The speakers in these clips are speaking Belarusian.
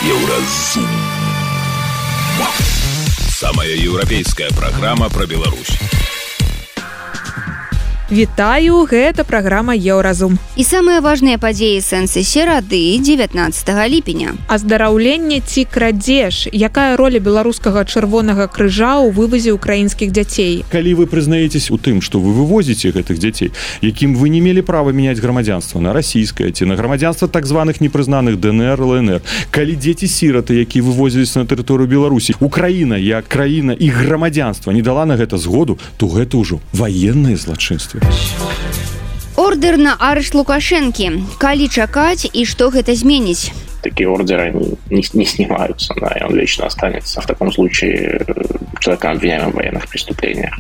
Еўразум. Самая еўрапейская праграма пра Беларусь. Вітаю, гэта праграма Еўразум. І самыя важныя падзеі сэнсы серады 19 ліпеня. Аздараўленне ці крадзеж? Якая роля беларускага чырвонага крыжа ў вывазе украінскіх дзяцей? Калі вы прызнаецесь у тым, што вы вывозіце гэтых дзяцей, якім вы не мелі права мяняць грамадзянства на расійскае ці на грамадзянства так званых непрызнаных ДНР, ЛНР, калі дзеці-сіраты, якія вывозіліся на тэрыторыю Беларусі, Украіна, як краіна і грамадзянства не дала на гэта згоду, то гэта ўжо ваеннае злачынства. Ордер на арышт Лукашэнкі. Калі чакаць і што гэта зменіць? Такие ордеры не снимаются, да, и он вечно останется. В таком случае человеком обвиняемым в военных преступлениях.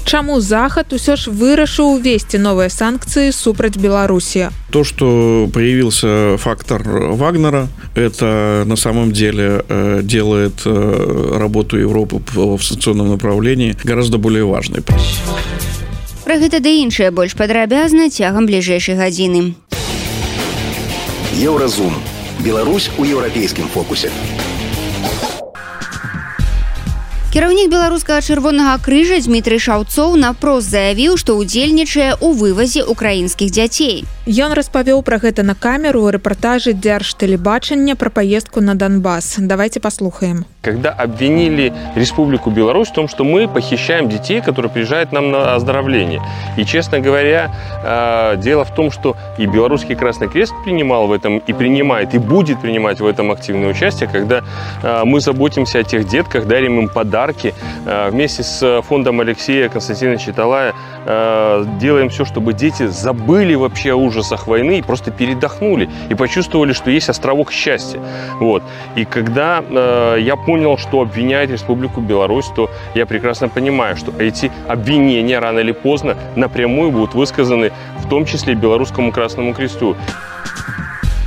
Чаму Захад усё ж вырашыў увесці новыя санкции супраць Беларуси? То, что появился фактор Вагнера, это на самом деле делает работу Европы в санкционном направлении гораздо более важной. Пра гэта да іншае больш падрабязна цягам бліжэйшай гадзіны. Еўразум. Беларусь у еўрапейскім фокусе. Кіраўнік беларускага чырвонага крыжа Дмітрый Шаўцоў напрост заявіў, што ўдзельнічае ў вывазе украінскіх дзяцей. Ён распавёў пра гэта на камеру ў рэпартажы Дзяржтэлебачання пра поездку на Донбасс. Давайте послухаем. Когда обвинили Республику Беларусь в том, что мы похищаем детей, которые приезжают нам на оздоровление. И, честно говоря, дело в том, что и Белорусский Красный Крест принимал в этом, и принимает, и будет принимать в этом активное участие, когда мы заботимся о тех детках, дарим им подарки. Вместе с фондом Алексея Константиновича Талая делаем все, чтобы дети забыли вообще о ужасах войны и просто передохнули, и почувствовали, что есть островок счастья. Вот. И когда я понял, что обвиняют Республику Беларусь, то я прекрасно понимаю, что эти обвинения рано или поздно напрямую будут высказаны, в том числе Белорусскому Красному Кресту.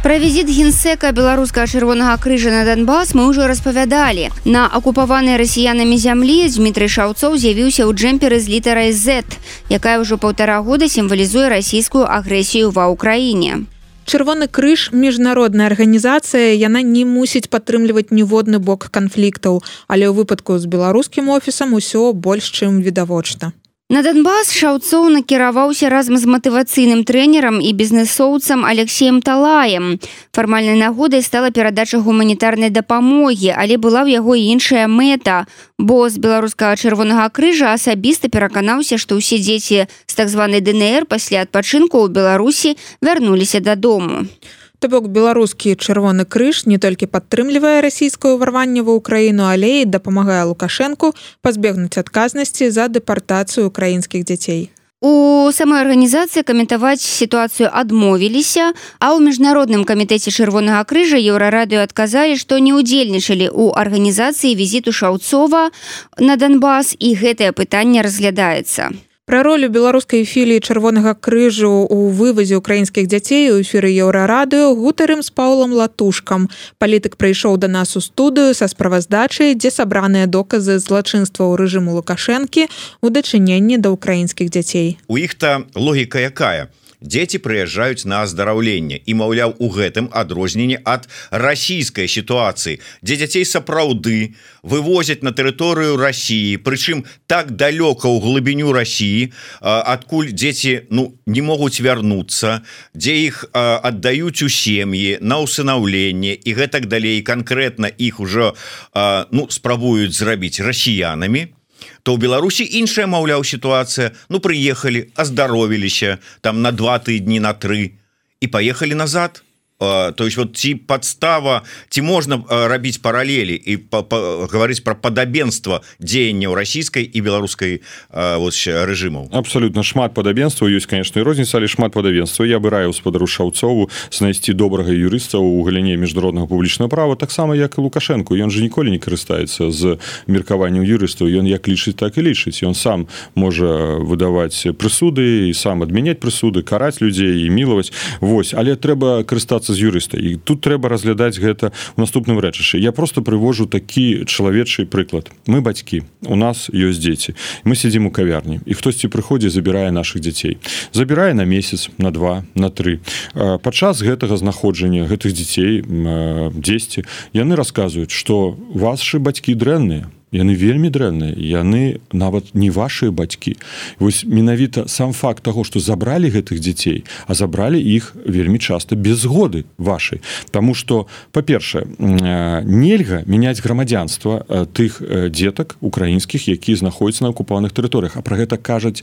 Пра візіт генсека беларускага чырвонага крыжа на Донбас мы ўжо распавядалі. На акупаванай расіянамі зямлі Дмітрый Шаўцоў з'явіўся ў джэмперы з літарай Z, якая ўжо 1,5 года сімвалізуе расійскую агрэсію ва ўкраіне. Чырвоны крыж – міжнародная арганізацыя, яна не мусіць падтрымліваць ніводны бок канфліктаў, але ў выпадку з беларускім офісам усё больш чым відавочна. На Донбас Шаўцоў накіраваўся разам з матывацыйным трэнерам і бізнэсоўцам Алексеем Талаем. Фармальнай нагодай стала перадача гуманітарнай дапамогі, але была ў яго іншая мэта. Бос беларускага чырвонага крыжа асабіста пераканаўся, што ўсе дзеці з так званай ДНР пасля адпачынку ў Беларусі вярнуліся дадому. То бок беларускі чырвоны крыж не толькі падтрымлівае расійскае ўварванне ва ўкраіну, але і дапамагае Лукашэнку пазбегнуць адказнасці за дэпартацыю украінскіх дзяцей. У самой арганізацыі каментаваць сітуацыю адмовіліся, а ў міжнародным камітэце чырвонага крыжа Еўрарадыё адказалі, што не ўдзельнічалі ў арганізацыі візіту Шаўцова на Донбас, і гэтае пытанне разглядаецца. Пра ролю беларускай філіі чырвонага крыжу ў вывазе украінскіх дзяцей у эфіры Еўрарадыё гутарым з Паўлам Латушкам. Палітык прыйшоў да нас у студыю са справаздачай, дзе сабраныя доказы злачынстваў рэжыму Лукашэнкі ў дачыненні да украінскіх дзяцей. У іх-то логіка якая? Дзеці прыязджаюць на аздараўленне і, маўляў, у гэтым адрозненне ад расійскай сітуацыі, дзе дзяцей сапраўды вывозяць на тэрыторыю Расіі, прычым так далёка ў глыбіню Расіі, адкуль дзеці не могуць вярнуцца, дзе іх аддаюць у сем'і на ўсынаўленне і гэтак далей, канкрэтна іх ужо спрабуюць зрабіць расіянамі. То ў Беларусі іншая, маўляў, сітуацыя. Прыехалі, аздаровіліся там на 2 тыдні, на 3 і паехалі назад. То есть вот ці подстава, ці можна рабіць паралелі і гаварыць пра падабенства дзеянняў расійскай і беларускай рэжымаў. Абсолютно шмат падабенства ёсць, конечно, і розніца, але шмат падабенства. Я бы раіў спадару Шаўцову знайсці добрага юрыста ў галіне міжнароднага публічнага права, таксама як і Лукашэнку. Ён же ніколі не карыстаецца з меркаваннем юрыстаў. Ён як лічыць, так і лічыць. Ён сам можа выдаваць прысуды і сам адмяняць прысуды, караць людзей і мілаваць. Вось, але трэба карыстацца пачынаецца з юрыста, і тут трэба разглядаць гэта ў наступным рэчышчы. Я просто прывожу такі чалавечы прыклад. Мы бацькі, у нас ёсць дзеці, мы сядзім у кавярні, і хтосьці прыходзіць, забірае нашых дзяцей. Забірае на месяц, на 2, на 3. Падчас гэтага знаходжання гэтых дзяцей дзесьці, яны расказваюць, што вашы бацькі дрэнныя, яны вельмі дрэнныя, яны нават не вашыя бацькі. Вось менавіта сам факт таго, што забралі гэтых дзяцей, а забралі іх вельмі часта без згоды вашай. Таму што, па-першае, нельга мяняць грамадзянства тых дзетак украінскіх, якія знаходзяцца на акупаваных тэрыторыях, а пра гэта кажуць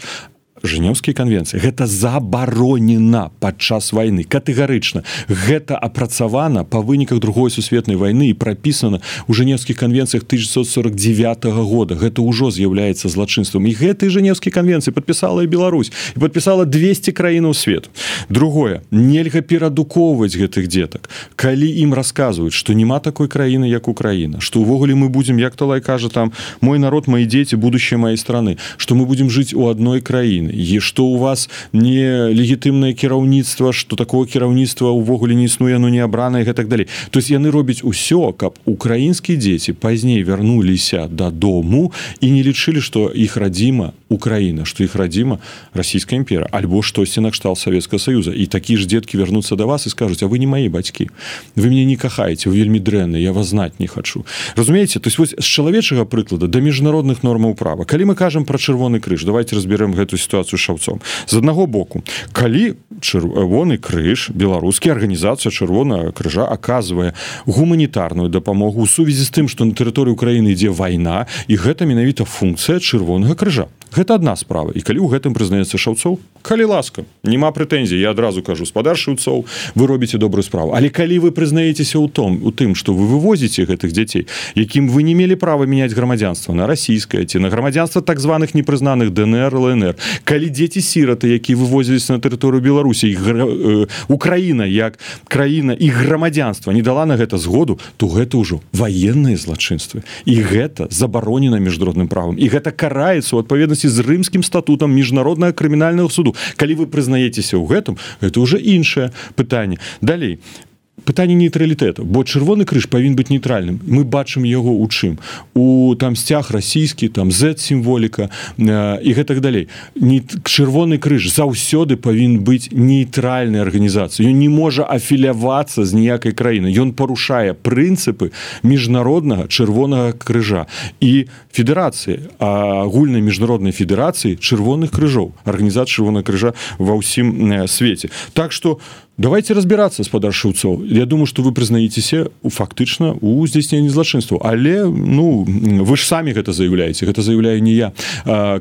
Жэнеўскія канвенцыі. Гэта забаронена падчас вайны, катэгарычна. Гэта апрацавана па выніках Другой сусветнай вайны і прапісана ў Жэнеўскіх канвенцыях 1949 года. Гэта ўжо з'яўляецца злачынствам. І гэтыя Жэнеўскія канвенцыі падпісала і Беларусь. І падпісала 200 краінаў свету. Другое, нельга перадукоўваць гэтых дзетак. Калі ім расказваюць, што няма такой краіны, як Украіна, што ўвогуле мы будзем, як Талай кажа, там, мой народ, мои дзеці, будущее маёй страны, што мы будзем жыць у адной краіне, і што у вас не легітымнае кіраўніцтва, што такого кіраўніцтва ўвогуле не існуе, оно не абранае і так далей. То есть яны робяць усё, каб украінскія дзеці пазней вярнуліся дадому і не лічылі, што іх радзіма Украіна, што іх радзіма Расійская імперія, альбо штосьці накшталт Савецкага Саюза. І такія ж дзеткі вярнуцца да вас і скажуць: а вы не мае бацькі, вы мяне не кахаеце, вы вельмі дрэнны, я вас знаць не хачу. Разумееце? То есть вось з чалавечага прыклада да міжнародных нормаў права. Калі мы кажам пра Чырвоны крыж, давайте разберем гэту сітуацыю шаўцом. З аднаго боку, калі Чырвоны крыж, беларускі, арганізацыя Чырвонага крыжа аказвае гуманітарную дапамогу ў сувязі з тым, што на тэрыторыі Украіны ідзе вайна, і гэта менавіта функцыя Чырвонага крыжа. Гэта адна справа. І калі ў гэтым прызнаецца Шаўцоў, калі ласка, няма прэтэнзій, я адразу кажу: спадар Шаўцоў, вы робіце добрую справу. Але калі вы прызнаецеся ў тым, што вы вывозіце гэтых дзяцей, якім вы не мелі права мяняць грамадзянства на расійскае ці на грамадзянства так званых непрызнаных ДНР, ЛНР, калі дзеці-сіраты, якія вывозіліся на тэрыторыю Беларусі, Украіна як краіна і грамадзянства не дала на гэта згоду, то гэта ўжо ваенныя злачынствы. І гэта забаронена міжнародным правам. І гэта караецца ў адпаведнасці з рымскім статутам міжнароднага крымінальнага суду. Калі вы прызнаецеся ў гэтым, гэта ўжо іншае пытанне. Далей, пытанне нейтралітэту, бо Чырвоны крыж павінен быць нейтральным. Мы бачым яго ў чым? У там сцяг расійскі, там Z-сімволіка і гэтак далей. Чырвоны крыж заўсёды павінен быць нейтральнай арганізацыяй. Ён не можа афілявацца з ніякай краіны. Ён парушае прынцыпы міжнароднага Чырвонага крыжа і федэрацыі, агульнай міжнароднай федэрацыі Чырвоных крыжоў, арганізацыі Чырвонага крыжа ва ўсім свеце. Так што давайте разбирацца, спадар Шаўцоў. Я думаю, што вы прызнаецеся фактычна ў здзяйсненні злачынстваў. Але, вы ж самі гэта заяўляеце, гэта заяўляю не я.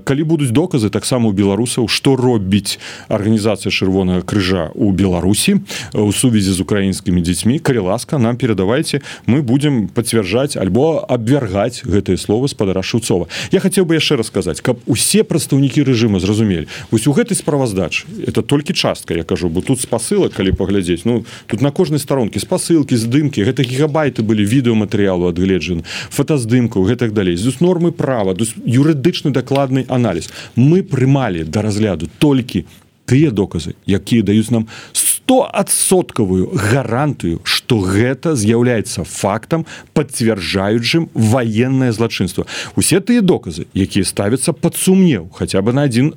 Калі будуць доказы таксама ў беларусаў, што робіць арганізацыя Чырвонага крыжа ў Беларусі у сувязі з украінскімі дзецьмі, калі ласка, нам перадавайце, мы будзем пацвярджаць альбо абвяргаць гэтыя словы спадара Шаўцова. Я хацеў бы яшчэ расказаць, каб усе прадстаўнікі рэжыма зразумелі. Вось у гэтай справаздачы, это толькі частка, я кажу, бо тут спасылак, паглядзець. Тут на кожнай старонкі спасылкі, здымкі, гэта гігабайты былі відэаматэрыялу адгледжаны, фотаздымкаў, гэтак далей. З нормы права, юрыдычны дакладны аналіз. Мы прымалі да разгляду толькі тыя доказы, якія даюць нам 100% гарантыю, што гэта з'яўляецца фактам, пацвярджаючым ваеннае злачынства. Усе тыя доказы, якія ставяцца пад сумнеў, хаця бы на 1%,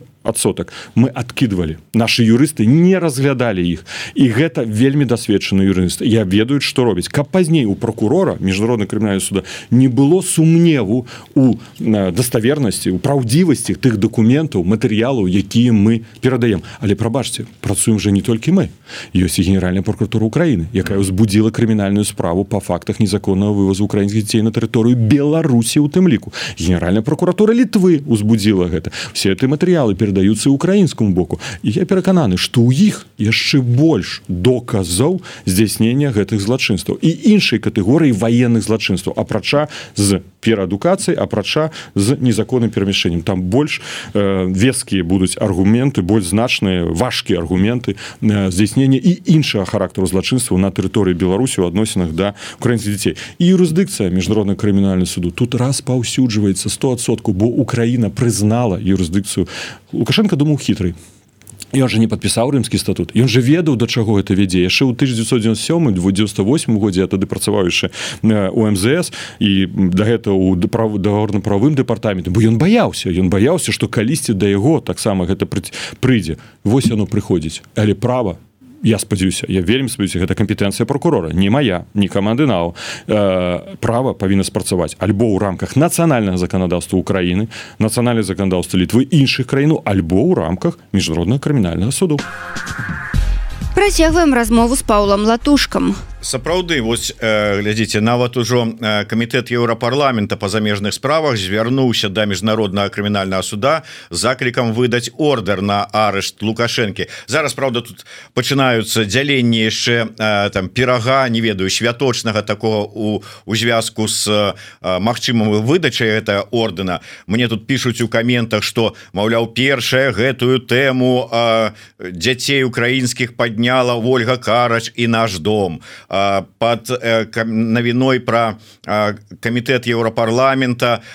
мы адкідвалі. Нашы юрысты не разглядалі іх. І гэта вельмі дасведчаны юрысты. Я ведаю, што робіць. Каб пазней у прокурора Міжнароднага крымінальнага суда не было сумневу у даставернасці, у праўдзівасці тых дакументаў, матэрыялаў, якія мы перадаем. Але, прабачце, працуем жа не толькі мы. Ёсць і Генеральная прокуратура Украіны, якая ўзбудзіла крымінальную справу па фактах незаконнага вывазу украінскіх дзяцей на тэрыторыю Беларусі ў тым ліку. Генеральная прокуратура Літвы ўзбудзіла гэта. Все гэтыя матэрыялы перадаюцца украінскаму боку. І я перакананы, што ў іх яшчэ больш доказаў здзяйснення гэтых злачынстваў і іншай катэгорыі ваенных злачынстваў, апрача з пераадукацыяй, апрача з незаконным перамяшчэннем. Там больш вескія будуць аргументы, больш значныя, важкія аргументы здзяйснення і іншага характару злачынстваў на тэрыторыі Беларусі ў адносінах да украінскіх дзяцей. І юрысдыкцыя Міжнароднага крымінальнага суду тут распаўсюджваецца 100%, бо Украіна прызнала юрысдыкцыю. Лукашенко думаў хітрый. Ён же не падпісаў рымскі статут. Ён же ведаў, да чаго гэта вядзе. Яшчэ ў 1997-98 годзе я тады працаваў яшчэ у МЗС і да гэта ў дагаворна-прававым дэпартаменце, бо ён баяўся, што калісьці да яго таксама гэта прыйдзе. Вось яно прыходзіць. Але права, я спадзяюся, я вельмі спадзяюся, гэта кампетэнцыя прокурора, не моя, не каманды НАУ. Права павінна спрацаваць альбо ў рамках нацыянальнага заканадаўства Украіны, нацыянальнага заканадаўства Літвы, іншых краін, альбо ў рамках міжнароднага крымінальнага суду. Працягваем размову з Паўлам Латушкам. Сапраўды, вось глядзіце, нават ужо камітэт Еўрапарламента па замежных справах звярнуўся да міжнароднага крымінальнага суда з заклікам выдаць ордер на арышт Лукашэнкі. Зараз, правда, тут пачынаюцца дзяленні яшчэ там пірага, не ведаю, святочнага такого у звязку з магчымым выдачай гэтага ордэна. Мне тут пішуць у каментах, што, маўляў, першая гэтую тэму дзяцей украінскіх падняла Ольга Карач і наш дом. Под навіной про камітэт Еўрапарламента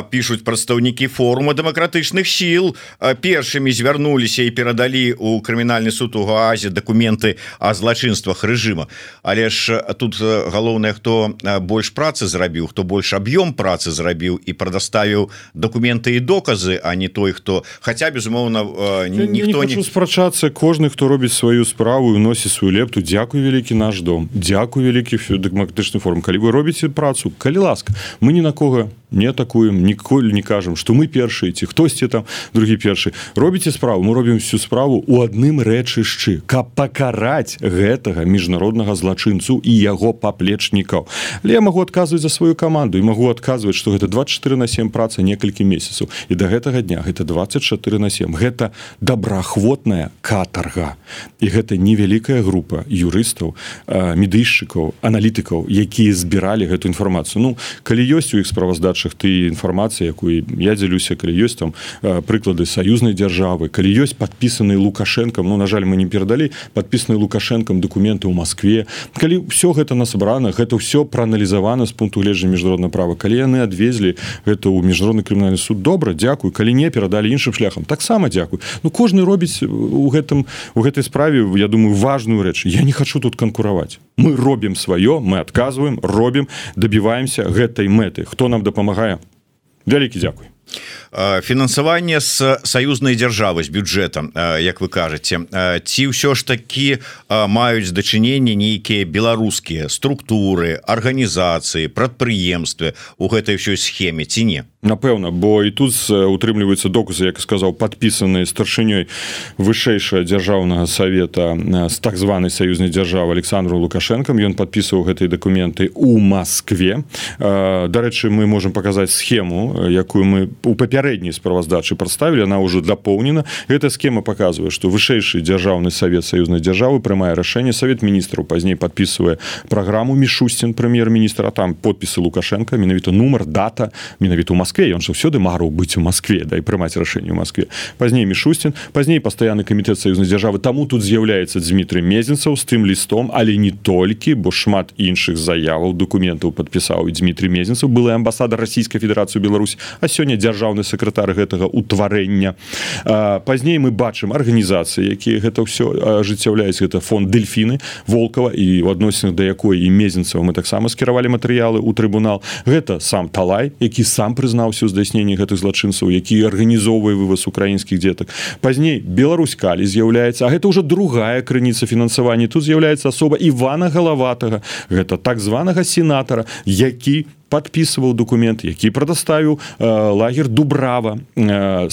пишуць прадстаўнікі форума дэмакратычных сіл, першымі звярнуліся і перадалі у крымінальны суд у Гаазе дакументы о злачынствах рэжыма. Але ж тут галоўнае, хто больш працы зрабіў, хто больш аб'ём працы зрабіў і прадаставіў дакументы і доказы, а не той, хто, хаця безумоўна ніхто не хочу спрачацца, кожны, хто робіць сваю справу і носіць сваю лепту. Дзякуй вялікі наш дом. Дзякуй вялікі дэмакратычны форум. Калі вы робіце працу, калі ласка, мы ні на кого не атакуем, ніколі не кажам, што мы першыя, ці хтосьці там другі першы. Робіце справу, мы робім всю справу у адным рэчышчы, каб пакараць гэтага міжнароднага злачынцу і яго паплечнікаў. Але я магу адказваць за сваю каманду і магу адказваць, што гэта 24/7 праца некалькі месяцаў. І да гэтага дня гэта 24/7. Гэта добраахвотная катарга. І гэта невялікая група юрыстаў, медыйшчыкаў, аналітыкаў, якія збіралі гэту інфармацыю. Ну, калі ёсць у іх справаздачах ты інфармацыя, якую я дзялюся, калі ёсць там прыклады саюзнай дзяржавы, калі ёсць падпісаныя Лукашэнкам, ну, на жаль, мы не перадалі падпісаныя Лукашэнкам дакументы ў Маскве, калі ўсё гэта насабрана, гэта ўсё прааналізавана з пункту гледжання міжнароднага права, калі яны адвезлі гэта ў міжнародны крымінальны суд, добра, дзякуй, калі не, перадалі іншым шляхам, таксама дзякуй. Ну, кожны робіць у гэтай справе, я думаю, важную рэч. Я не хочу тут канкураваць. Мы робім сваё, мы адказваем, робім, дабіваемся гэтай мэты. Хто нам дапамагае? Вялікі дзякуй. Фінансаванне з саюзнай дзяржавы, з бюджэтам, як вы кажаце, ці ўсё ж такі маюць дачыненні нейкія беларускія структуры, арганізацыі, прадпрыемствы у гэтай ўсёй схеме, ці не? Напэўна, бо і тут утрымліваюцца доказы, як сказаў, падпісаныя старшынёй вышэйшага дзяржаўнага савета з так званай саюзнай дзяржавы Александром Лукашэнкам. Ён падпісваў гэтыя дакументы ў Маскве. Дарэчы, мы можам паказаць схему, якую мы у папярэдняй справаздачы прадставілі, она ўжо дапоўнена. Гэта схема паказвае, што вышэйшы дзяржаўны савет саюзнай дзяржавы прымае рашэнне, савет міністраў пазней падпісвае праграму, Мішустін, прэм'ер-міністр, а там подпісы Лукашэнка, менавіта нумар, дата, менавіта ў Маскве. Ён ж заўсёды марыў быць у Маскве, да, і прымаць рашэнне ў Маскве. Пазней Мішустін, пазней пастаянны камітэт саюзнай дзяржавы. Таму тут з'яўляецца Дзмітрый Мезенцаў з тым лістом, але не толькі, бо шмат іншых заяваў, дакументаў падпісаў і Дзмітрый Мезенцаў, былы амбасадар Расійскай Федэрацыі ў Беларусі, а сёння дзяржаўны сакратар гэтага ўтварэння. Пазней мы бачым арганізацыі, якія гэта ўсё ажыццяўляюць. Гэта фонд Дельфіны Волкова, і у адносінах да якой і Мезенцаў мы таксама скіравалі матэрыялы ў трыбунал. Гэта сам Талай, які сам прызнаўся ў здзяйсненні гэтых злачынцаў, які арганізоўвае вываз украінскіх дзетак. Пазней Беларусь-Калі з'яўляецца, а гэта ўжо другая крыніца фінансавання. Тут з'яўляецца асоба Івана Галаватага, гэта так званага сенатара, які падпісваў документ, які прадаставіў лагер Дубрава,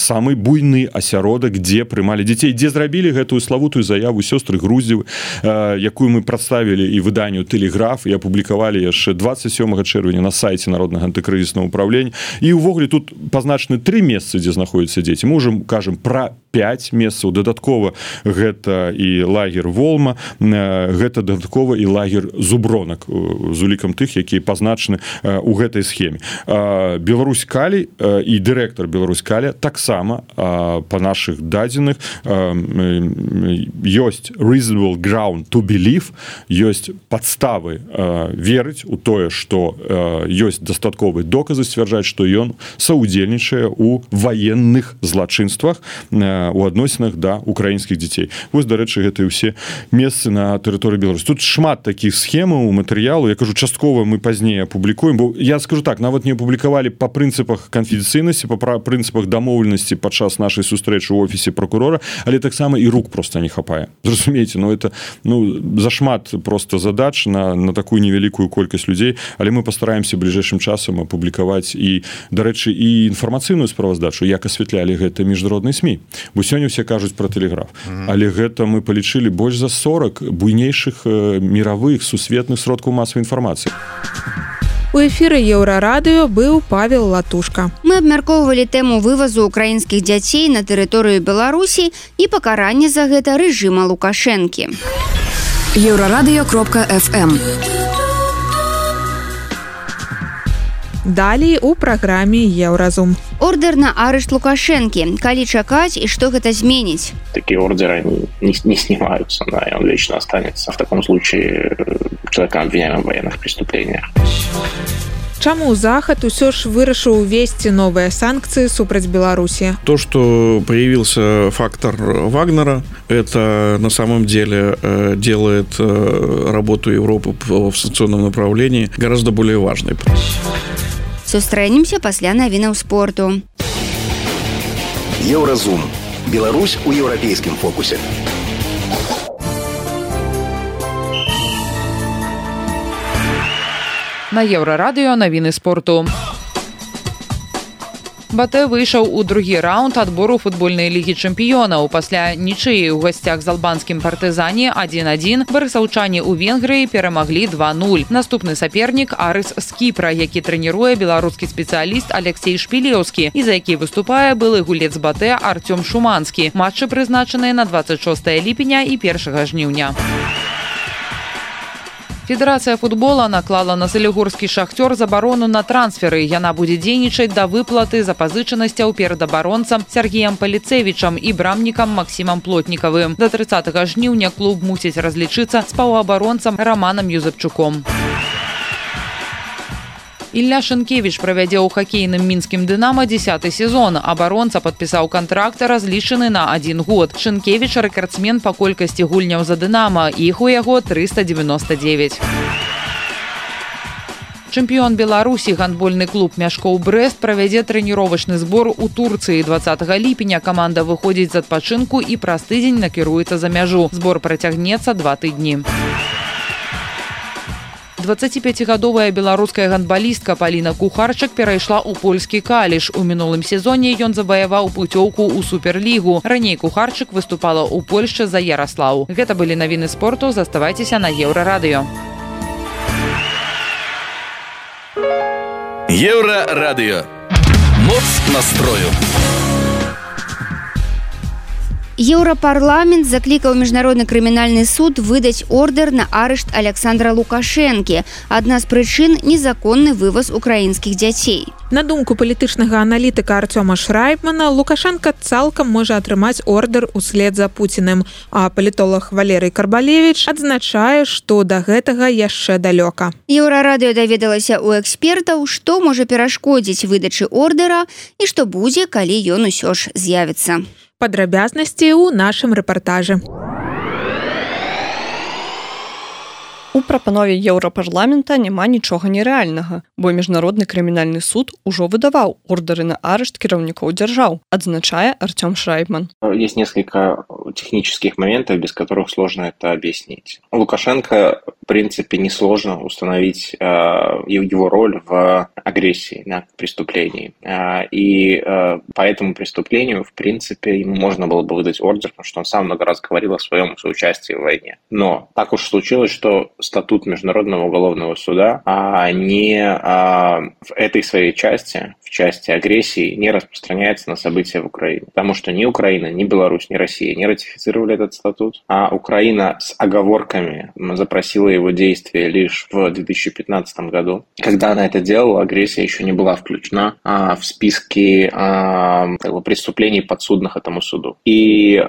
самы буйны асяродак, дзе прымалі дзяцей, дзе зрабілі гэтую славутую заяву сёстры Груздзевы, якую мы прадставілі і выданню Тэлеграф і апублікавалі яшчэ 27 чэрвеня на сайце Народнага антыкрызіснага ўправлення. І ўвогуле тут пазначаны 3 месцы, дзе знаходзяцца дзеці. Мы ўжо кажам пра 5 месцаў. Дадаткова гэта і лагер Волма, гэта дадаткова і лагер Зубронак, з улікам тых, якія пазначаны у гэтай схеме. Беларусь-Калі і дырэктар Беларусь-Калі таксама па нашых дадзеных ёсць reasonable ground to believe, ёсць падставы верыць у тое, што ёсць дастатковыя доказы сцвярджаць, што ён саўдзельнічае ў ваенных злачынствах у адносінах да украінскіх дзяцей. Вось, дарэчы, гэта і ўсе месцы на тэрыторыі Беларусі. Тут шмат такіх схемаў, матэрыялу. Я кажу, часткова мы пазней апублікуем, бо я скажу так, нават не апублікавалі па прынцыпах канфідэнцыйнасці, па прынцыпах дамоўленасці падчас нашай сустрэчы ў офісе прокурора, але таксама і рук просто не хапае. Зразумееце, это зашмат просто задач на такую невялікую колькасць людзей, але мы пастараемся бліжэйшым часам апублікаваць і, дарэчы, і інфармацыйную справаздачу, як асвятлялі гэта міжнародныя СМІ. Бо сёння ўсе кажуць пра тэлеграф. Але гэта мы палічылі больш за 40 буйнейшых мировых сусветных сродкаў масавай інфармацыі. У эфіры Еўрарадыё быў Павел Латушка. Мы абмяркоўвалі тэму вывазу украінскіх дзяцей на тэрыторыю Беларусі і пакаранне за гэта рэжыма Лукашэнкі. Еўрарадыё.фм. Далей у праграме Еўразум. Ордер на арышт Лукашэнкі. Калі чакаць і што гэта зменіць? Такие ордеры не снимаются, да, и он вечно останется в таком случае человеком, обвиняемым в военных преступлениях. Чаму Захад усё ж вырашыў увесці новыя санкцыі супраць Беларусі? То, что появился фактор Вагнера, это на самом деле делает работу Европы в санкционном направлении гораздо более важной. Сустрэнемся пасля навінаў спорту. Еўразум. Беларусь у еўрапейскім фокусе. На Еўрарадыё навіны спорту. БАТЭ выйшаў у другі раунд адбору футбольнай лігі чэмпіёнаў. Пасля нічыі ў гасцях з албанскім партызане 1-1 барысаўчане ў Венгрыі перамаглі 2-0. Наступны сапернік Арыс з Кіпра, які трэніруе беларускі спецыяліст Алексей Шпілеўскі і за які выступае былы гулец БАТЭ Артём Шуманскі. Матчы прызначаныя на 26 ліпеня і 1 жніўня. Федэрацыя футбола наклала на салігорскі «Шахтёр» забарону на трансферы. Яна будзе дзейнічаць да выплаты запазычанасцяў перад абаронцам Сергеем Паліцевічам і брамнікам Максімам Плотнікавым. До 30 жніўня клуб мусіць разлічыцца з паўабаронцам Раманам Юзапчуком. Ілля Шынкевіч правядзе ў хакейным мінскім «Дынама» 10-й сезон. Абаронца падпісаў кантракт, разлічаны на 1 год. Шынкевіч – рэкардсмен па колькасці гульняў за «Дынама». Іх у яго 399. Чэмпіён Беларусі гандбольны клуб «Мяшкоў Брэст» правядзе трэніровачны збор у Турцыі. 20 ліпеня каманда выходзіць з адпачынку і праз тыдзень накіруецца за мяжу. Збор працягнецца 2 тыдні. 25-гадовая беларуская гандбалістка Паліна Кухарчык перайшла ў польскі «Каліш». У мінулым сезоне ён заваяваў пуцёўку ў суперлігу. Раней Кухарчык выступала ў Польшчы за Яраслаў. Гэта былі навіны спорту. Заставайцеся на Еўрарадыё. Еўрарадыё. Моц настрою. Еўрапарламент заклікаў міжнародны крымінальны суд выдаць ордер на арышт Александра Лукашэнкі. Адна з прычын – незаконны вываз украінскіх дзяцей. На думку палітычнага аналітыка Артёма Шрайбмана, Лукашенко цалкам можа атрымаць ордер услед за Пуціным, а палітолог Валерый Карбалевіч адзначае, што да гэтага яшчэ далёка. Еўрарадыё даведалася ў экспертаў, што можа перашкодзіць выдачы ордера і што будзе, калі ён усё ж з'явіцца. Падрабязнасці ў нашым рэпартажы. У прапанове Еўрапарламента няма нічога нерэальнага, бо міжнародны крымінальны суд ужо выдаваў ордары на арышт кіраўнікоў дзяржаў, адзначае Артём Шрайбман. Есть несколько технических моментов, без которых сложно это объяснить. Лукашенко, в принципе, несложно установить его роль в агрессии, на преступлении. И по этому преступлению, в принципе, ему можно было бы выдать ордер, потому что он сам много раз говорил о своем соучастии в войне. Но так уж случилось, что статут Международного уголовного суда в этой своей части, в части агрессии, не распространяется на события в Украине. Потому что ни Украина, ни Беларусь, ни Россия не ратифицировали этот статут, а Украина с оговорками запросила его действие лишь в 2015 году. Когда она это делала, агрессия еще не была включена в списки преступлений, подсудных этому суду. И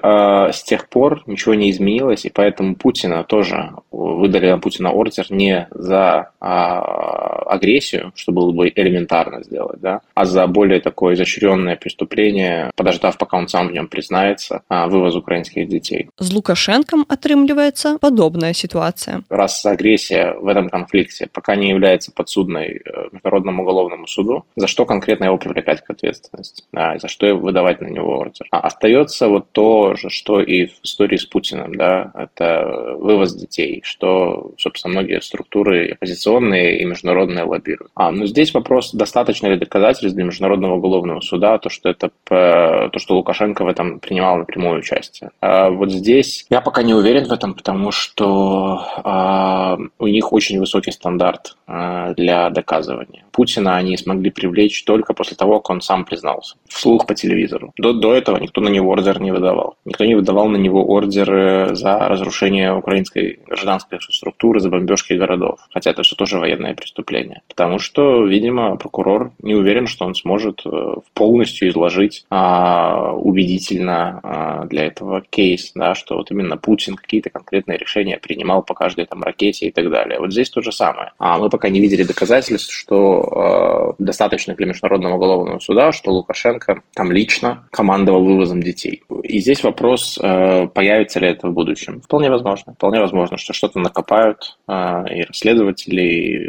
с тех пор ничего не изменилось, и поэтому Путина тоже выдали на Путина ордер не за агрессию, что было бы элементарно сделать, да, а за более такое изощренное преступление, подождав, пока он сам в нем признается, вывоз украинских детей. С Лукашенком отрымливается подобная ситуация. Раз агрессия в этом конфликте пока не является подсудной Международному уголовному суду, за что конкретно его привлекать к ответственности, да, за что выдавать на него ордер. Остается вот то же, что и в истории с Путиным, да, это вывоз детей, что, собственно, многие структуры оппозиционные и международные лоббируют. Но здесь вопрос, достаточно ли доказательств для Международного уголовного суда, то, что Лукашенко в этом принимал напрямую участие. Вот здесь я пока не уверен в этом, потому что у них очень высокий стандарт для доказывания. Путина они смогли привлечь только после того, как он сам признался вслух по телевизору. До этого никто на него ордер не выдавал. Никто не выдавал на него ордеры за разрушение украинской гражданской структуры, за бомбежки городов. Хотя это все тоже военное преступление. Потому что, видимо, прокурор не уверен, что он сможет полностью изложить убедительно для этого кейс, да, что вот именно Путин какие-то конкретные решения принимал по каждой там ракете и так далее. Вот здесь то же самое. Мы пока не видели доказательств, что достаточно для Международного уголовного суда, что Лукашенко там лично командовал вывозом детей. И здесь вопрос, появится ли это в будущем. Вполне возможно, что что-то накопают и расследователи, и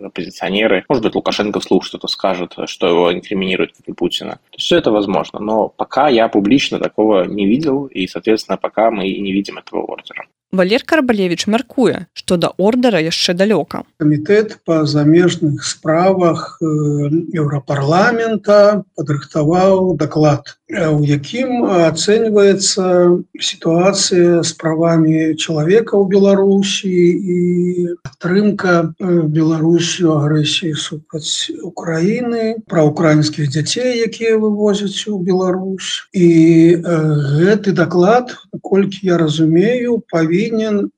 оппозиционеры. Может быть, Лукашенко вслух что-то скажет, что его инкриминирует, как и Путина. То есть все это возможно. Но пока я публично такого не видел, и, соответственно, пока мы и не видим этого ордера. Валер Карбалевич мяркуе, што да ордара яшчэ далёка. Камітэт па замежных справах Еўрапарламента падрыхтаваў даклад, у якім ацэньваецца сітуацыя з правамі чалавека ў Беларусі і падтрымка Беларусю агрэсіі супраць Украіны, пра украінскіх дзяцей, якія вывозяць у Беларусь. І гэты даклад, наколькі я разумею, павінен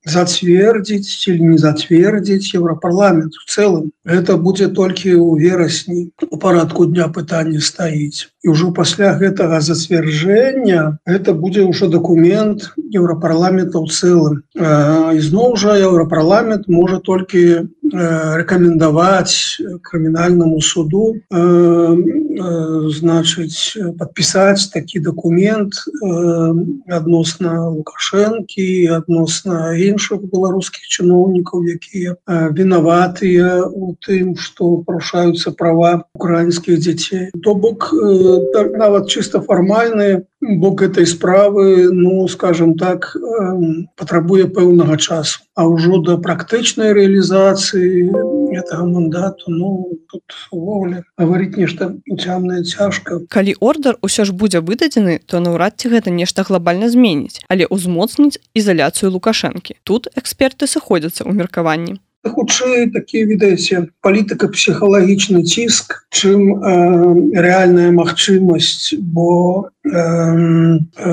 зацвердзіць или не зацвердзіць Еўрапарламент в целом. Это будзе толькі ў верасні у парадку дня пытання стаіць. І ўжо пасля гэтага зацвярджэння это будзе ўжо дакумент Еўрапарламента ў цэлым. І зноў жа Еўрапарламент можа толькі рэкамендаваць крымінальнаму суду подпісаць такі дакумент адносна Лукашэнкі, адносна іншых беларускіх чыноўнікаў, якія вінаватыя у тым, што парушаюцца права украінскіх дзяцей. То бок, нават чыста фармальны бок этой справы, скажем так, патрабуе пэўнага часу. А ўжо да практычнай рэалізацыі гэтага мандату, тут увогуле гаварыць нешта цямнае цяжка. Калі ордар усё ж будзе выдадзены, то наўрад ці гэта нешта глобальна зменіць, але ўзмоцніць ізаляцыю Лукашэнкі. Тут эксперты сыходзяцца ў меркаванні. Хутчэй такі, відаеце, палітыка-псіхалагічны ціск, чым рэальная магчымасць, бо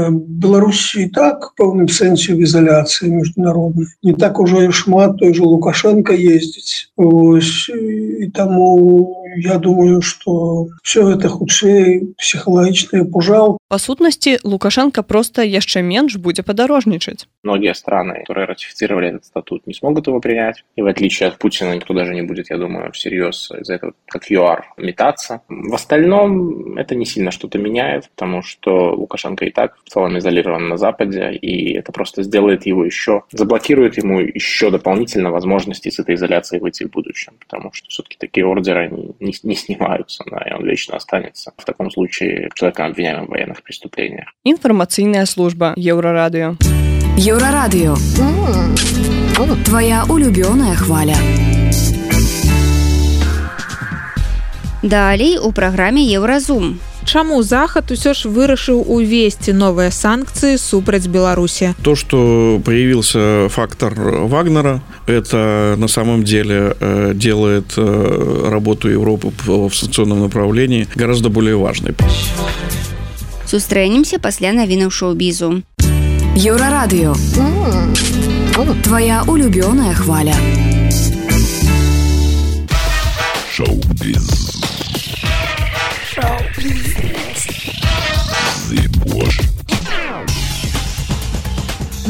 Беларусь і так в пэўным сэнсе в ізаляцыі міжнароднай. Не так ужо і шмат той же Лукашенко ездзіць. І таму я думаю, што все гэта хутчэй псіхалагічная пужал. Па сутнасці, Лукашенко просто яшчэ менш будзе падарожнічаць. Многие страны, которые ратифицировали этот статут, не смогут его принять. И в отличие от Путина, никто даже не будет, я думаю, всерьез из-за этого, как ЮАР, метаться. В остальном это не сильно что-то меняет, потому что Лукашенко и так в целом изолирован на Западе, и это просто сделает его еще, заблокирует ему еще дополнительно возможности с этой изоляцией выйти в будущем, потому что все-таки такие ордеры они не снимаются, да, и он вечно останется в таком случае человеком, обвиняемым в военных преступлениях. Информационная служба Еврорадио. Еврорадио. Твоя улюбленная хваля. Далей у праграме Еўразум. Чаму Захад усё ж вырашыў увесці новыя санкцыі супраць Беларусі? То, что появился фактор Вагнера, это на самом деле делает работу Европы в санкционном направлении гораздо более важной. Сустрэнемся пасля навінаў шоу-бізу. Еврорадио. Твоя улюбленная хваля. Шоу-біз.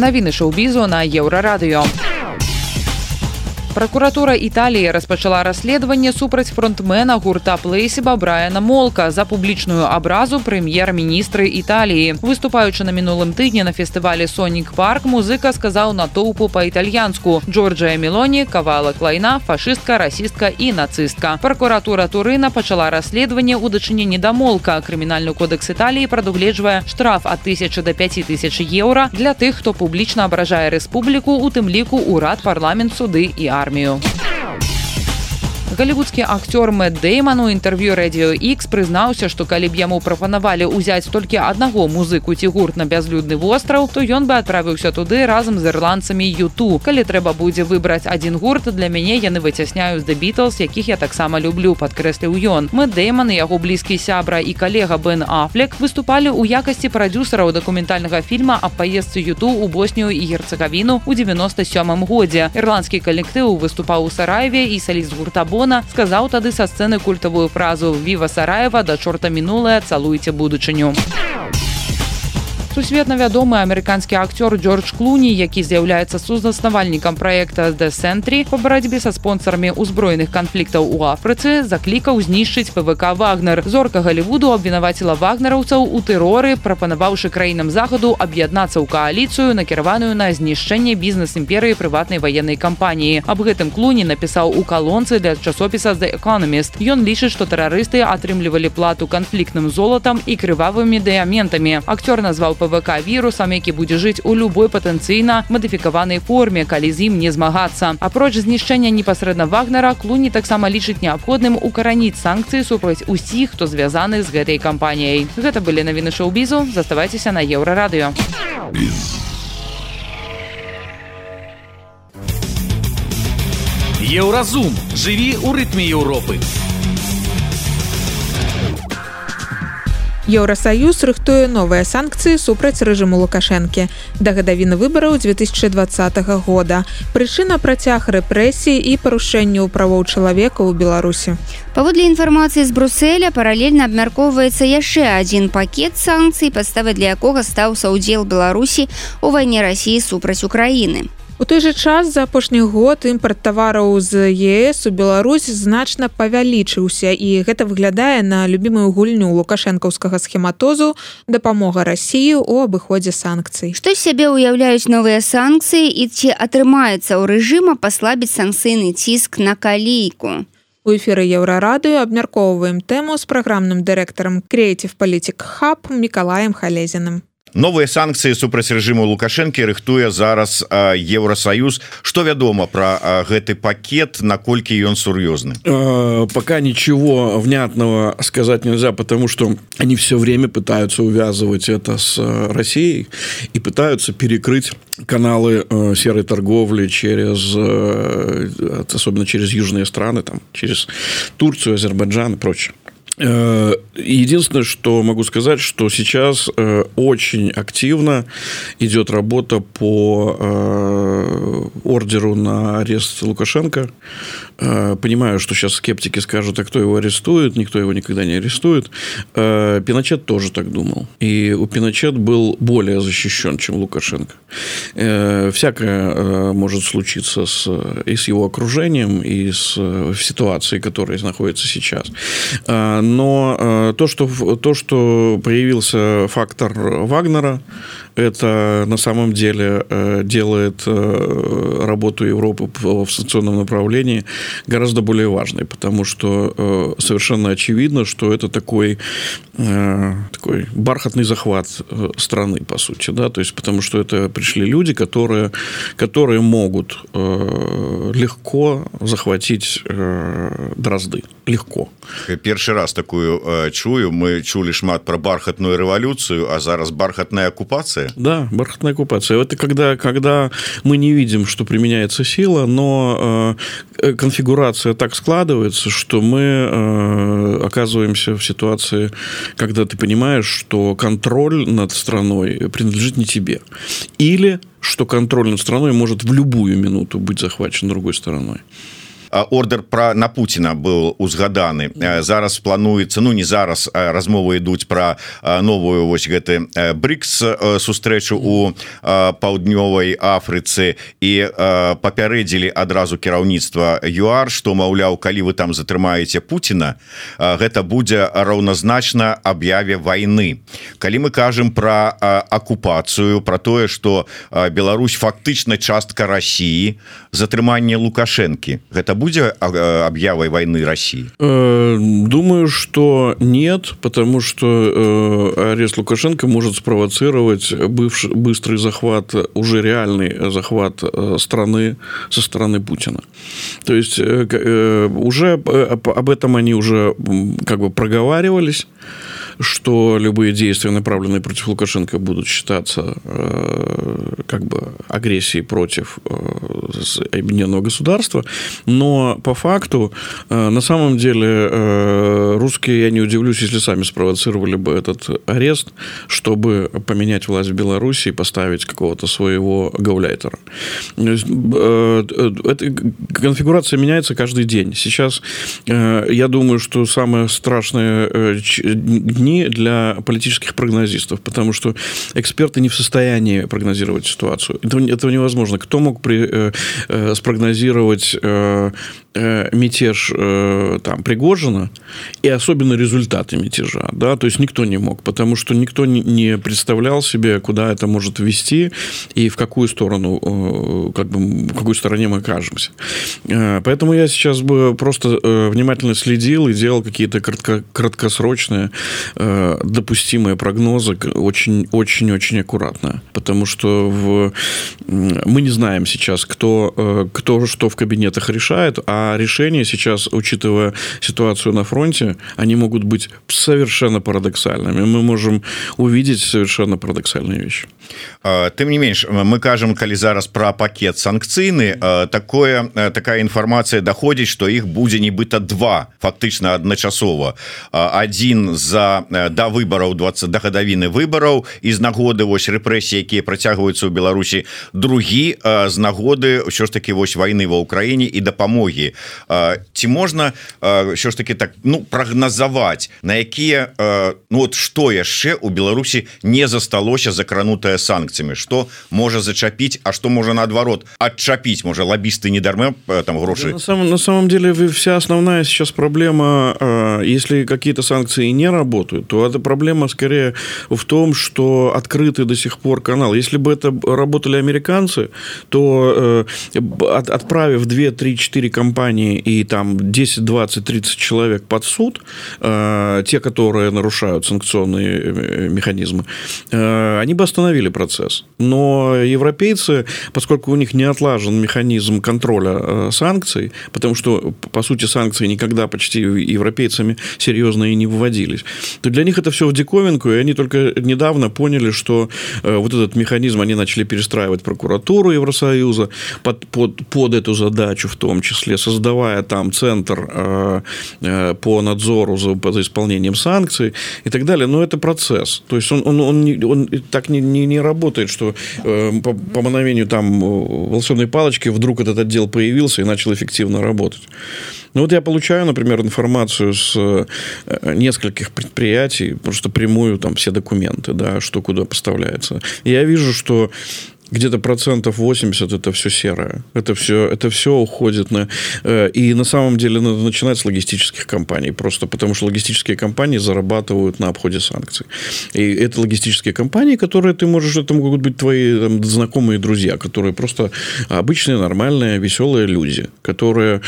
Навіны шоу-бізу на Еўрарадыё. Пракуратура Італіі распачала расследаванне супраць фронтмена гурта Плейсіба Брайана Молка за публічную абразу прэм'ер-міністры Італіі. Выступаючы на мінулым тыдні на фестывалі «Сонік Парк», музыка сказаў натоўпу па-італьянску: «Джорджия Мелоні, кавалак лайна, фашыстка, расістка і нацыстка». Пракуратура Турына пачала расследаванне ў дачыненні да Молка. Крымінальны кодэкс Італіі прадугледжвае штраф ад 1000 до 5000 еўра для тых, хто публічна абражае рэспубліку, у тым ліку ўрад, парламент, суды і армію. Галівудскі актёр Мэтт Дэйман у інтэрв'ю Radio X прызнаўся, што калі б яму прапанавалі ўзяць толькі аднаго музыку ці гурт на бязлюдны востраў, то ён бы адправіўся туды разам з ірландцамі U2. Калі трэба будзе выбраць адзін гурт, для мяне яны выцясняюць The Beatles, якіх я таксама люблю, падкрэсліў ён. Мэтт Дэйман і яго блізкі сябра і калега Бен Афлек выступалі ў якасці прадзюсараў дакументальнага фільма аб паездцы U2 у Боснію і Герцагавіну ў 97 годзе. Ірландскі калектыў выступаў у Сараеве, і саліст гурта сказаў тады са сцэны культавую фразу «Віва Сараева, да чорта мінулае, цалуйце будучыню». Сусветна вядомы амерыканскі акцёр Джордж Клуні, які з'яўляецца сузаснавальнікам праекта The Sentry па барацьбе са спонсарамі ўзброеных канфліктаў у Афрыцы, заклікаў знішчыць ПВК «Вагнер». Зорка Галівуду абвінаваціла вагнераўцаў у тэроры, прапанаваўшы краінам захаду аб'яднацца ў кааліцыю, накіраваную на знішчэнне бізнес-імперыі прыватнай ваеннай кампаніі. Аб гэтым Клуні напісаў у калонцы для часопіса The Economist. Ён лічыць, што тэрарысты атрымлівалі плату канфліктным золатам і крывавымі дыяментамі. Акцёр назваў ПВК вірусам, які будзе жыць у любой патэнцыйна мадыфікаванай форме, калі з ім не змагацца. Апроч знішчэння непасрэдна Вагнера, Клуні таксама лічыць неабходным укараніць санкцыі супраць усіх, хто звязаны з гэтай кампаніяй. Гэта былі навіны шоу-бізу. Заставайцеся на Еўрарадыё. Еўразум. Жыві ў рытме Еўропы. Еўрасаюз рыхтуе новыя санкцыі супраць рэжыму Лукашэнкі да гадавіны выбараў 2020 года. Прычына працяг рэпрэсій і парушэнняў правоў чалавека ў Беларусі. Паводле інфармацыі з Брусэля, паралельна абмяркоўваецца яшчэ адзін пакет санкцый, падставай для якога стаў саўдзел Беларусі ў вайне Расіі супраць Украіны. У той жа час за апошні год імпарт тавараў з ЕС у Беларусь значна павялічыўся, і гэта выглядае на любімую гульню лукашэнкаўскага схематозу дапамога Расіі ў абыходзе санкцый. Што з сябе ўяўляюць новыя санкцыі і ці атрымаецца ў рэжыма паслабіць санкцыйны ціск на калійку? У эфіры Еўрарадыё абмяркоўваем тэму з праграмным дырэктарам Creative Politic Hub Мікалаем Халезіным. Новыя санкцыі супраць рэжыму Лукашэнкі рыхтуе зараз Еўросаюз. Что вядома про гэты пакет, наколькі ён сур'ёзны? Пока ничего внятного сказать нельзя, потому что они все время пытаются увязывать это с Россией и пытаются перекрыть каналы серой торговли через, особенно через южные страны, там, через Турцию, Азербайджан и прочее. Единственное, что могу сказать, что сейчас очень активно идет работа по ордеру на арест Лукашенко. Понимаю, что сейчас скептики скажут, а кто его арестует? Никто его никогда не арестует. Пиночет тоже так думал. И у Пиночет был более защищен, чем Лукашенко. Всякое может случиться и с его окружением, и в ситуации, которая находится сейчас. Но то, что появился фактор Вагнера, это на самом деле делает работу Европы в санкционном направлении гораздо более важной, потому что совершенно очевидно, что это такой бархатный захват страны, по сути, да, то есть потому что это пришли люди, которые могут легко захватить Дрозды, легко. Першы раз такую чую, мы чули шмат про бархатную революцию, а зараз бархатная оккупация. Да, бархатная оккупация. Это когда мы не видим, что применяется сила, но конфигурация так складывается, что мы оказываемся в ситуации, когда ты понимаешь, что контроль над страной принадлежит не тебе. Или что контроль над страной может в любую минуту быть захвачен другой стороной. ордер на Путина был узгаданы. Зараз плануецца, ну не зараз, размовы ідуць про новую вось гэты БРИКС сустрэчу у паўднёвай Афрыцы, і папярэдзілі адразу кіраўніцтва ЮАР, што, маўляў, калі вы там затрымаеце Путина, гэта будзе раўназначна аб'яве вайны. Калі мы кажам про акупацыю, про тое, что Беларусь фактычна частка России, затрыманне Лукашенко, гэта будзе аб'явай войны России? Думаю, что нет, потому что арест Лукашенко может спровоцировать быстрый захват, уже реальный захват страны со стороны Путина. То есть уже об этом они уже как бы проговаривались, что любые действия, направленные против Лукашенко, будут считаться как бы агрессией против объединенного государства. Но по факту, на самом деле, русские, я не удивлюсь, если сами спровоцировали бы этот арест, чтобы поменять власть в Беларуси и поставить какого-то своего гауляйтера. Эта конфигурация меняется каждый день. Сейчас я думаю, что самое страшное дни для политических прогнозистов, потому что эксперты не в состоянии прогнозировать ситуацию. Этого невозможно. Кто мог спрогнозировать мятеж там, Пригожина и особенно результаты мятежа, да, то есть никто не мог, потому что никто не представлял себе, куда это может вести и в какую сторону, как бы, в какой стороне мы окажемся. Поэтому я сейчас бы просто внимательно следил и делал какие-то краткосрочные допустимые прогнозы, очень-очень аккуратно, потому что мы не знаем сейчас, кто что в кабинетах решает, а решения сейчас, учитывая ситуацию на фронте, они могут быть совершенно парадоксальными. Мы можем увидеть совершенно парадоксальные вещи. Тым не менш, мы кажам, калі зараз пра пакет санкцыйны, такая інфармацыя даходзіць, што іх будзе нібыта два, фактычна адначасова. Адзін да выбараў, да гадавіны выбараў, і з нагоды вось рэпрэсіі, якія працягваюцца ў Беларусі, другі з нагоды ўсё ж такі вось вайны ва ўкраіне і дапамогі. Ці можна ўсё ж такі так, ну, прагназаваць, на якія, ну, от што яшчэ ў Беларусі не засталося закранутае санкцыямі, што можа зачапіць, а што можа наадварот адчапіць, можа лоббисты не дарма там грошы. На самом деле вся основная сейчас проблема, если какие-то санкции не работают, то эта проблема скорее в том, что открыты до сих пор каналы. Если бы это работали американцы, то отправив 2, 3, 4 компании и там 10, 20, 30 человек под суд, те, которые нарушают санкционные механизмы, они бы остановили процесс. Но европейцы, поскольку у них не отлажен механизм контроля санкций, потому что, по сути, санкции никогда почти европейцами серьезно и не вводились, то для них это все в диковинку, и они только недавно поняли, что вот этот механизм, они начали перестраивать прокуратуру Евросоюза под эту задачу, в том числе, создавая там центр по надзору за исполнением санкций и так далее. Но это процесс. То есть он так не работает, что по мановению там волшебной палочки вдруг этот отдел появился и начал эффективно работать. Ну вот я получаю, например, информацию с нескольких предприятий, просто прямую там все документы, да, что куда поставляется. И я вижу, что где-то 80% это все серое. Это все уходит на... И на самом деле надо начинать с логистических компаний. Просто потому что логистические компании зарабатывают на обходе санкций. И это логистические компании, которые ты можешь... Это могут быть твои там, знакомые друзья, которые просто обычные, нормальные, веселые люди, которые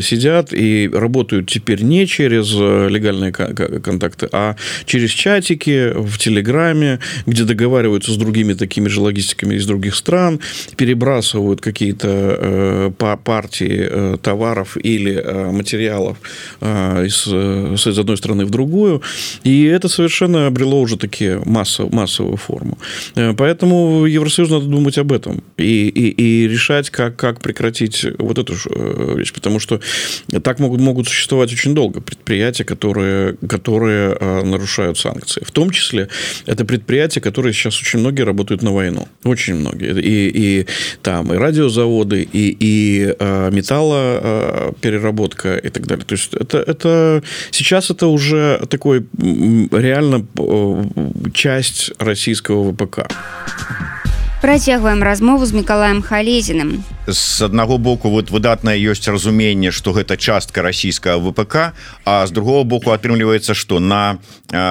сидят и работают теперь не через легальные контакты, а через чатики в Телеграме, где договариваются с другими такими же логистиками из других стран, перебрасывают какие-то партии товаров или материалов из одной страны в другую, и это совершенно обрело уже такие массовую форму. Поэтому Евросоюзу надо думать об этом и решать, как прекратить вот эту вещь, потому что так могут существовать очень долго предприятия, которые нарушают санкции. В том числе это предприятия, которые сейчас очень многие работают на войну. Очень многие. и там и радиозаводы, и металлопереработка и так далее. То есть это сейчас это уже такой реально часть российского ВПК. Працягваем размову з Мікалаем Халезіным. З аднаго боку вот выдатнае ёсць разуменне, што гэта частка расійскага ВПК, а з другого боку атрымліваецца, што на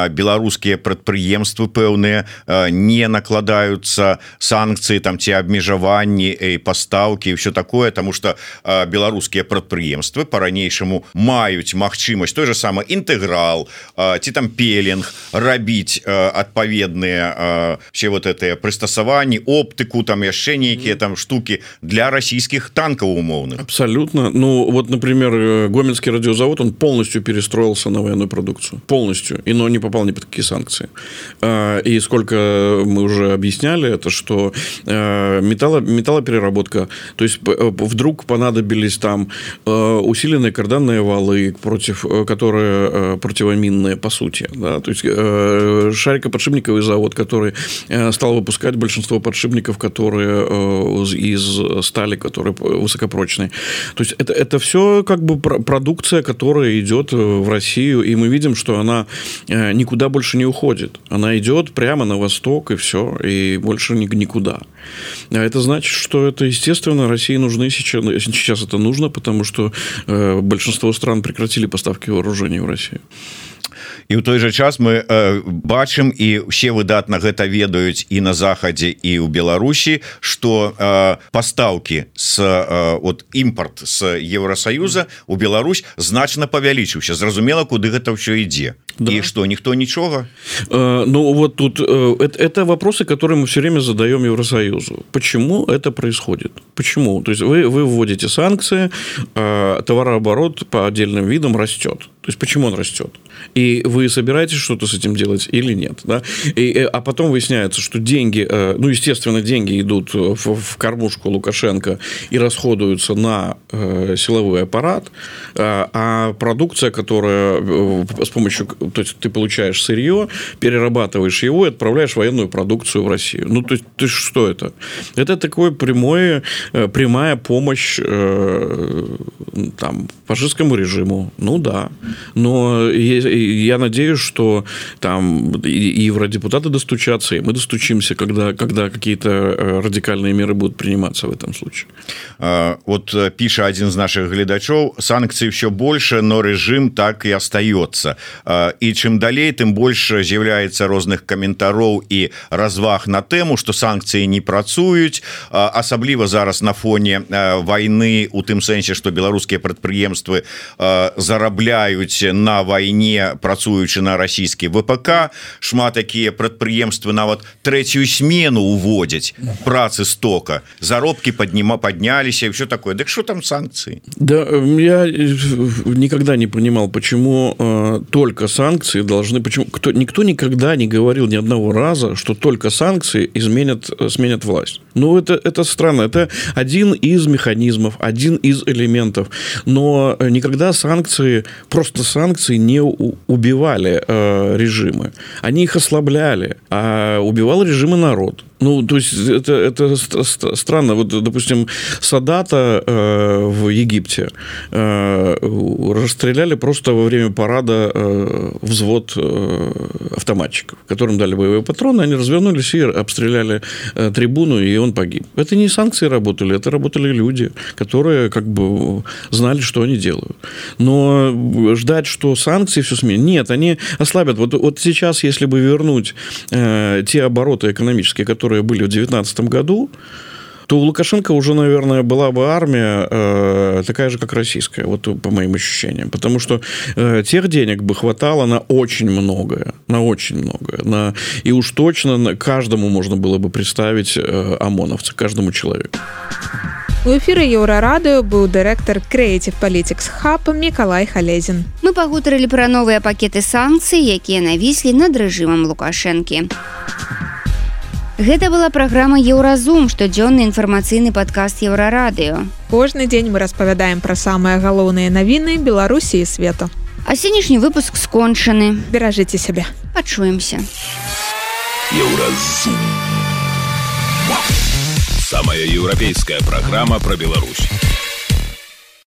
беларускія прадпрыемствы пэўныя не накладаюцца санкцыі там ці абмежаванні і пастаўкі і ўсё такое, таму што беларускія прадпрыемствы па-ранейшаму маюць магчымасць той же самы інтэграл ці там пелінг рабіць адпаведныя все вот гэтыя прыстасаванні, оптыку, там яшчэ нейкія там штуки для российских танков умовных. Абсолютно. Ну, вот, например, Гомельский радиозавод, он полностью перестроился на военную продукцию. Полностью. Но не попал ни под какие санкции. И сколько мы уже объясняли, это что металлопереработка, то есть вдруг понадобились там усиленные карданные валы, которые противоминные, по сути. Да? То есть шарикоподшипниковый завод, который стал выпускать большинство подшипников, которые из стали, которые высокопрочные. То есть это все как бы продукция, которая идет в Россию, и мы видим, что она никуда больше не уходит. Она идет прямо на восток, и все, и больше никуда. А это значит, что это, естественно, России нужны сейчас это нужно, потому что большинство стран прекратили поставки вооружений в Россию. І ў той жа час мы бачым, і ўсе выдатна гэта ведаюць і на захадзе, і ў Беларусі, што пастаўкі от імпорт з Еўросаюза у Беларусь значна павялічыўся. Зразумела, куды гэта ўсё ідзе. Да. И что, никто ничего? Ну, вот тут это вопросы, которые мы все время задаем Евросоюзу. Почему это происходит? Почему? То есть вы вводите санкции, товарооборот по отдельным видам растет. То есть почему он растет? И вы собираетесь что-то с этим делать или нет? Да? А потом выясняется, что деньги, ну, естественно, деньги идут в кормушку Лукашенко и расходуются на силовой аппарат, а продукция, которая с помощью... То есть ты получаешь сырье, перерабатываешь его и отправляешь военную продукцию в Россию. Ну, то есть что это? Это такое прямая помощь там, фашистскому режиму. Ну да. Но я надеюсь, что там и евродепутаты достучатся, и мы достучимся, когда какие-то радикальные меры будут приниматься в этом случае. Вот пишет один из наших глядачов: санкций все больше, но режим так и остается. И чем далей, тем больше з'являецца розных каментароў і разваг на тэму, што санкцыі не працуюць, асабліва зараз на фоне вайны, у тым сэнсе, што беларускія прадпрыемствы зарабляюць на вайне, працуючы на расійскі ВПК. Шмат такія прадпрыемствы нават трэцюю смену уводзяць працы стока, заробкі подняліся і все такое. Дык что там санкции? Да, я никогда не понимал, почему только санкции должны... Почему никто никогда не говорил ни одного раза, что только санкции сменят власть. Ну, это странно. Это один из механизмов, один из элементов. Но никогда просто санкции не убивали режимы. Они их ослабляли, а убивал режимы народ. Ну, то есть это странно. Вот, допустим, Садата в Египте расстреляли просто во время парада взвод автоматчиков, которым дали боевые патроны, они развернулись и обстреляли трибуну, и он погиб. Это не санкции работали, это работали люди, которые как бы знали, что они делают. Но ждать, что санкции все сменят, нет, они ослабят. Вот сейчас, если бы вернуть те обороты экономические, которые были в 2019 году, то у Лукашенко уже, наверное, была бы армия такая же, как российская, вот по моим ощущениям. Потому что тех денег бы хватало на очень многое. И уж точно каждому можно было бы представить ОМОНовца, каждому человеку. У эфіры Еўрарадыо быў дырэктар Creative Politics Hub Мікалай Халезін. Мы пагутарылі пра новыя пакеты санкцый, якія навіслі над рэжымам Лукашэнкі. Гэта была праграма «Еўразум», штодзённы інфармацыйны падкаст Еўрарадыо. Кожны дзень мы распавядаем пра самыя галоўныя навіны Беларусі і свету. А сённяшні выпуск скончаны. Беражыце сябе. Пачуемся. Еўразум. Самая европейская программа про Беларусь.